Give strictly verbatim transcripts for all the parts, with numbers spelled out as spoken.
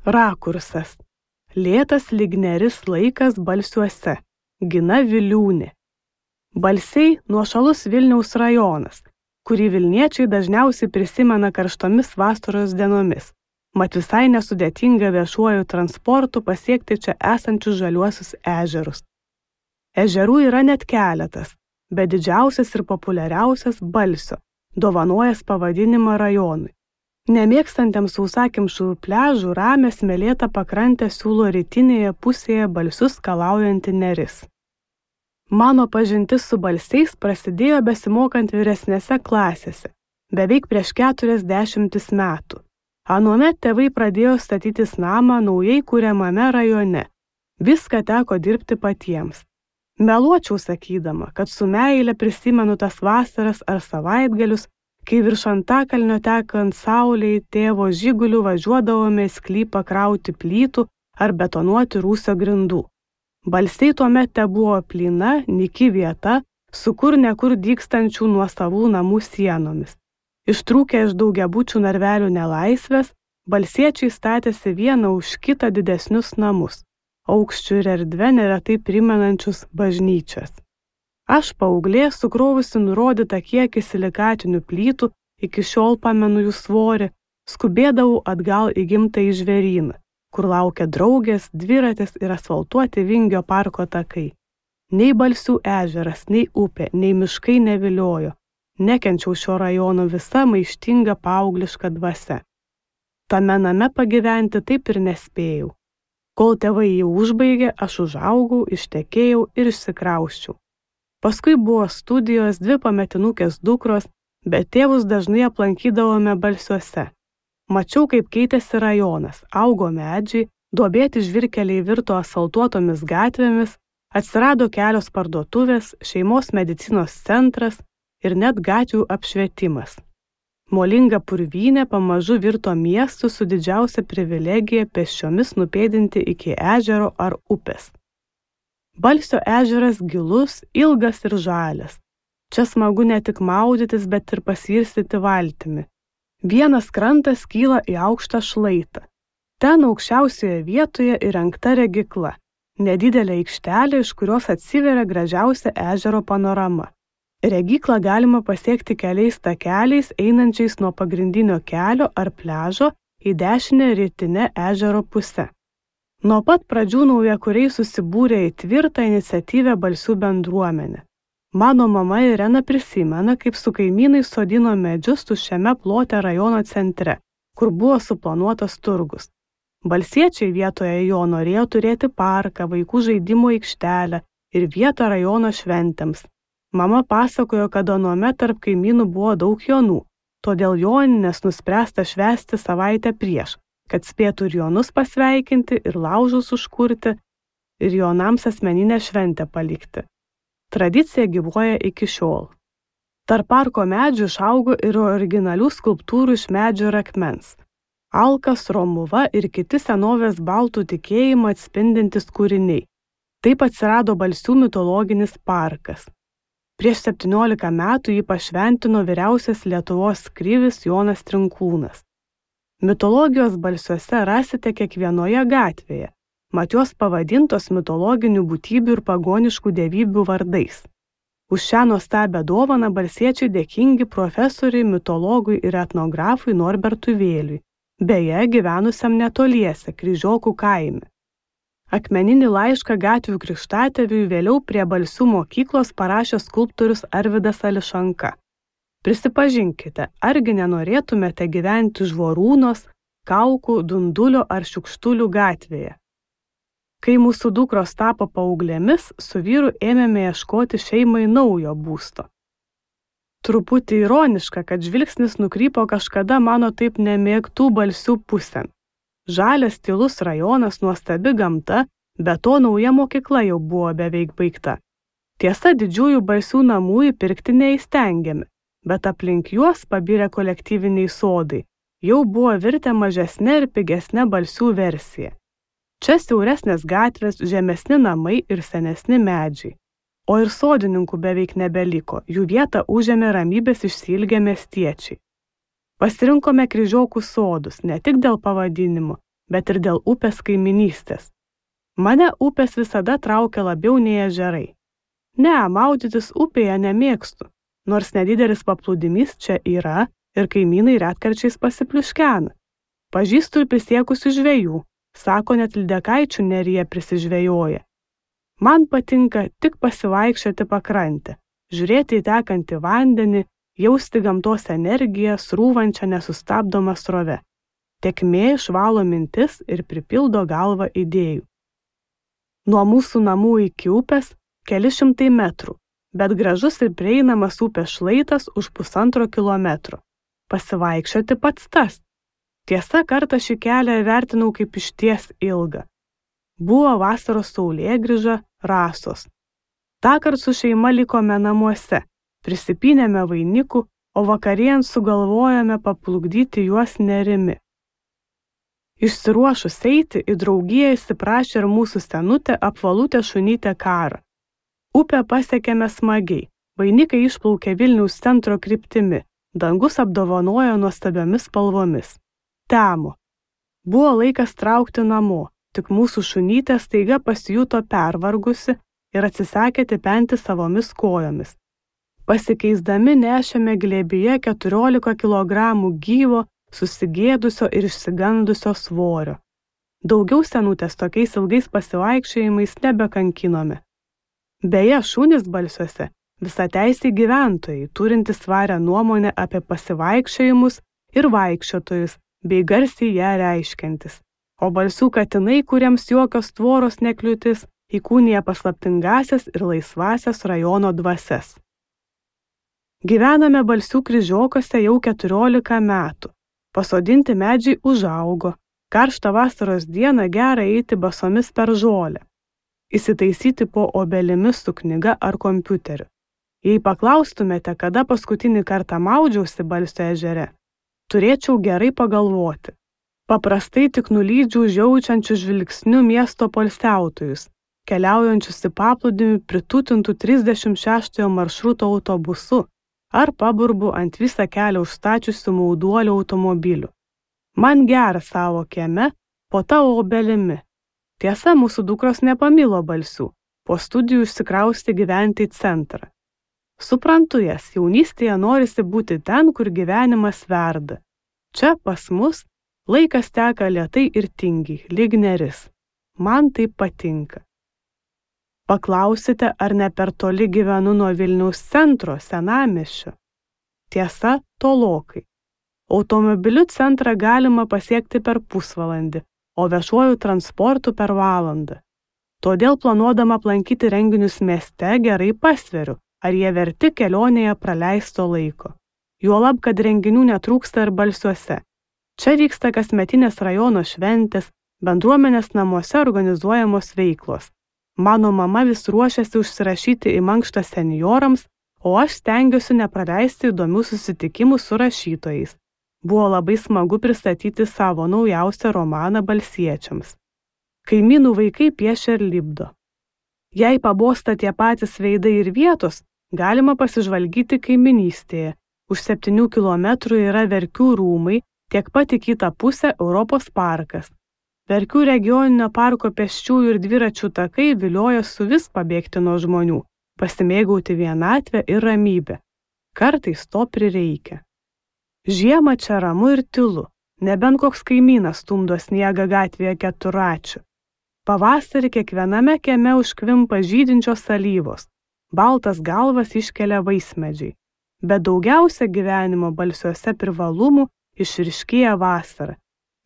Rakursas. Lėtas lyg neris laikas Balsiuose. Gina Viliūnė. Balsiai nuošalus Vilniaus rajonas, kurį Vilniečiai dažniausiai prisimena karštomis vasaros dienomis, mat visai nesudėtinga viešuoju transportu pasiekti čia esančius žaliuosius ežerus. Ežerų yra net keletas, bet didžiausias ir populiariausias Balsio, dovanojęs pavadinimą rajonui. Nemėgstantiems sausakimšų pliažų ramią smėlėtą pakrantę siūlo rytinėje pusėje Balsius skalaujanti neris. Mano pažintis su Balsiais prasidėjo besimokant vyresnėse klasėse, beveik prieš keturiasdešimtis metų. Anuomet tėvai pradėjo statytis namą naujai kuriamame rajone. Viską teko dirbti patiems. Meluočiau sakydama, kad su meile prisimenu tas vasaras ar savaitgalius, kai virš Antakalnio tekant saulei tėvo žiguliu važiuodavome į sklypą krauti plytų ar betonuoti rūsio grindų. Balsiai tuomet tebuvo plyna, nyki vieta, su kur nekur dygstančių nuosavų namų sienomis. Ištrūkę iš daugiabučių narvelių nelaisvės, balsiečiai statėsi vieną už kitą didesnius namus, aukščių ir erdvę neretai primenančius bažnyčias. Aš paauglė, sukrovusi nurodytą kiekį silikatinių plytų, iki šiol pamenu jų svorį, skubėdavau atgal į gimtąjį žvėryną, kur laukia draugės, dviratis ir asfaltuoti Vingio parko takai. Nei Balsių ežeras, nei upė, nei miškai neviliojo. Nekenčiau šio rajono visa maištinga paaugliška dvasia. Tame name pagyventi taip ir nespėjau. Kol tėvai jį užbaigė, aš užaugau, ištekėjau ir išsikrausčiau. Paskui buvo studijos, dvi pametinukės dukros, bet tėvus dažnai aplankydavome Balsiuose. Mačiau, kaip keitėsi rajonas, augo medžiai, duobėti žvyrkeliai virto asfaltuotomis gatvėmis, atsirado kelios parduotuvės, šeimos medicinos centras ir net gatvių apšvietimas. Molinga purvynė pamažu virto miestu su didžiausia privilegija pėsčiomis nupėdinti iki ežero ar upės. Balsio ežeras gilus, ilgas ir žalias. Čia smagu ne tik maudytis, bet ir pasirstyti valtimi. Vienas krantas kyla į aukštą šlaitą. Ten aukščiausioje vietoje įrengta regykla, nedidelė aikštelė, iš kurios atsiveria gražiausia ežero panorama. Regyklą galima pasiekti keliais takeliais, einančiais nuo pagrindinio kelio ar pliažo į dešinę rytinę ežero pusę. Nuo pat pradžių naujakuriai susibūrė į tvirtą iniciatyvę Balsių bendruomenę. Mano mama Irena prisimena, kaip su kaimynais sodino medžius tuščiame plote rajono centre, kur buvo suplanuotas turgus. Balsiečiai vietoje jo norėjo turėti parką, vaikų žaidimų aikštelę ir vietą rajono šventėms. Mama pasakojo, kad anuomet tarp kaimynų buvo daug jonų, todėl joninės nuspręsta švęsti savaitę prieš, kad spėtų ir jonus pasveikinti, ir laužus užkurti, ir jonams asmeninę šventę palikti. Tradicija gyvuoja iki šiol. Tarp parko medžių išaugo ir originalių skulptūrų iš medžio ir akmens. Alkas, Romuva ir kiti senovės baltų tikėjimą atspindintys kūriniai. Taip atsirado Balsių mitologinis parkas. Prieš septyniolika metų jį pašventino vyriausias Lietuvos krivis Jonas Trinkūnas. Mitologijos Balsiuose rasite kiekvienoje gatvėje, mat jos pavadintos mitologinių būtybių ir pagoniškų dievybių vardais. Už šią nuostabią dovaną balsiečiai dėkingi profesoriui, mitologui ir etnografui Norbertui Vėliui, beje gyvenusiam netoliese Kryžiokų kaime. Akmeninį laišką gatvių krikštatėviui vėliau prie Balsių mokyklos parašė skulptorius Arvydas Ališanka. Prisipažinkite, argi nenorėtumėte gyventi Žvorūnos, Kaukų, Dundulio ar Šiukštulių gatvėje? Kai mūsų dukros tapo paauglėmis, su vyru ėmėme ieškoti šeimai naujo būsto. Truputį ironiška, kad žvilgsnis nukrypo kažkada mano taip nemėgtų Balsių pusėn. Žalias tylus rajonas, nuostabi gamta, be to nauja mokykla jau buvo beveik baigta. Tiesa, didžiųjų Balsių namų įpirkti neįstengėme, bet aplink juos pabirę kolektyviniai sodai jau buvo virtę mažesnė ir pigesnė Balsių versija. Čia siauresnės gatvės, žemesni namai ir senesni medžiai. O ir sodininkų beveik nebeliko, jų vietą užėmė ramybės išsiilgę miestiečiai. Pasirinkome Kryžiokų sodus ne tik dėl pavadinimo, bet ir dėl upės kaiminystės. Mane upės visada traukia labiau nei ežerai. Ne, maudytis upėje nemėgstu, nors nedidelis paplūdimys čia yra ir kaimynai retkarčiais pasipliuškena. Pažįstu ir prisiekusių žvejų, sako net Lydekaičių neryje prisižvejoja. Man patinka tik pasivaikščioti pakrantę, žiūrėti į tekantį vandenį, jausti gamtos energiją srūvančią nesustabdomą srovę. Tėkmė išvalo mintis ir pripildo galvą idėjų. Nuo mūsų namų iki upės keli šimtai metrų, bet gražus ir prieinamas upės šlaitas už pusantro kilometro. Pasivaikščioti pats tas. Tiesa, kartą šį kelią vertinau kaip išties ilgą. Buvo vasaros saulėgrįža, rasos. Tąkart su šeima likome namuose, prisipynėme vainikų, o vakarėjant sugalvojome paplukdyti juos nerimi. Išsiruošus eiti, į draugiją įsiprašė ir mūsų senutė apvalutė šunytė Kara. Upę pasiekėme smagiai, vainikai išplaukė Vilniaus centro kryptimi, dangus apdovanojo nuostabiomis spalvomis. Temo. Buvo laikas traukti namo, tik mūsų šunytė staiga pasijuto pervargusi ir atsisakė tipenti savomis kojomis. Pasikeisdami nešėme glėbyje keturiolika kilogramų gyvo, susigėdusio ir išsigandusio svorio. Daugiau senutės tokiais ilgais pasivaikščiojimais nebekankinome. Beje, šunys Balsiuose visateisiai gyventojai, turintys svarią nuomonę apie pasivaikščiojimus ir vaikščiotojus, bei garsiai ją reiškiantis. O Balsių katinai, kuriems jokios tvoros nekliūtis, įkūnija paslaptingasias ir laisvasias rajono dvasias. Gyvename Balsių kryžiokose jau keturiolika metų. Pasodinti medžiai užaugo. Karštą vasaros dieną gera eiti basomis per žolę. Įsitaisyti po obelimis su knyga ar kompiuteriu. Jei paklaustumėte, kada paskutinį kartą maudžiausi Balsio ežere, turėčiau gerai pagalvoti. Paprastai tik nulydžiu žiaučiančių žvilgsnių miesto poilsiautojus, keliaujančius į paplūdimį pritūtintų trisdešimt šeštojo maršruto autobusu, ar paburbu ant visą kelią užstačiusių mauduolių automobilių. Man gera savo kieme, po ta obelimi. Tiesa, mūsų dukros nepamilo Balsių, po studijų išsikrausti gyventi į centrą. Suprantu jas, jaunystėje norisi būti ten, kur gyvenimas verda. Čia pas mus laikas teka lėtai ir tingiai, lyg neris. Man tai patinka. Paklausite, ar ne per toli gyvenu nuo Vilniaus centro, senamiesčio. Tiesa, tolokai. Automobiliu centrą galima pasiekti per pusvalandį, o viešuoju transportu per valandą. Todėl planuodama aplankyti renginius mieste gerai pasveriu, ar jie verti kelionėje praleisto laiko. Juolab, kad renginių netrūksta ir Balsiuose. Čia vyksta kasmetinės rajono šventės, bendruomenės namuose organizuojamos veiklos. Mano mama vis ruošiasi užsirašyti į mankštą senjorams, o aš stengiuosi nepraleisti įdomių susitikimų su rašytojais. Buvo labai smagu pristatyti savo naujausią romaną balsiečiams. Kaimynų vaikai piešia ir lipdo. Jei pabosta tie patys veidai ir vietos, galima pasižvalgyti kaiminystėje. Už septynių kilometrų yra Verkių rūmai, tiek pat į kitą pusę Europos parkas. Verkių regioninio parko pėsčiųjų ir dviračių takai vilioja su vis pabėgti nuo žmonių, pasimėgauti vienatvę ir ramybę. Kartais to prireikia. Žiemą čia ramu ir tylu, nebent koks kaimynas stumdo sniegą gatvėje keturračiu. Pavasarį kiekviename kieme užkvimpa žydinčios alyvos, baltas galvas iškelia vaismedžiai. Bet daugiausia gyvenimo Balsiuose privalumų išryškėja vasarą.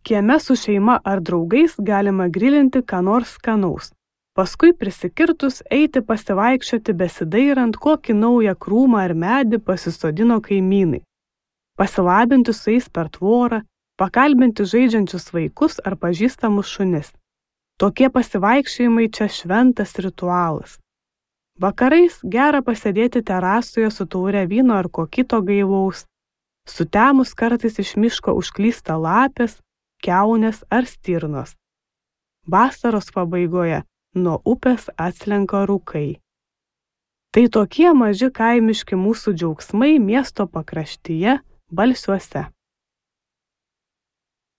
Kieme su šeima ar draugais galima grilinti ką nors skanaus. Paskui prisikirtus eiti pasivaikščioti besidairant, kokį naują krūmą ar medį pasisodino kaimynai. Pasilabinti su jais per tvorą, pakalbinti žaidžiančius vaikus ar pažįstamus šunis. Tokie pasivaikščiojimai čia šventas ritualas. Vakarais gera pasėdėti terasoje su taure vyno ar ko kito gaivaus. Sutemus kartais iš miško užklysta lapės, kiaunės ar stirnos. Vasaros pabaigoje nuo upės atslenka rūkai. Tai tokie maži kaimiški mūsų džiaugsmai miesto pakraštyje Balsiuose.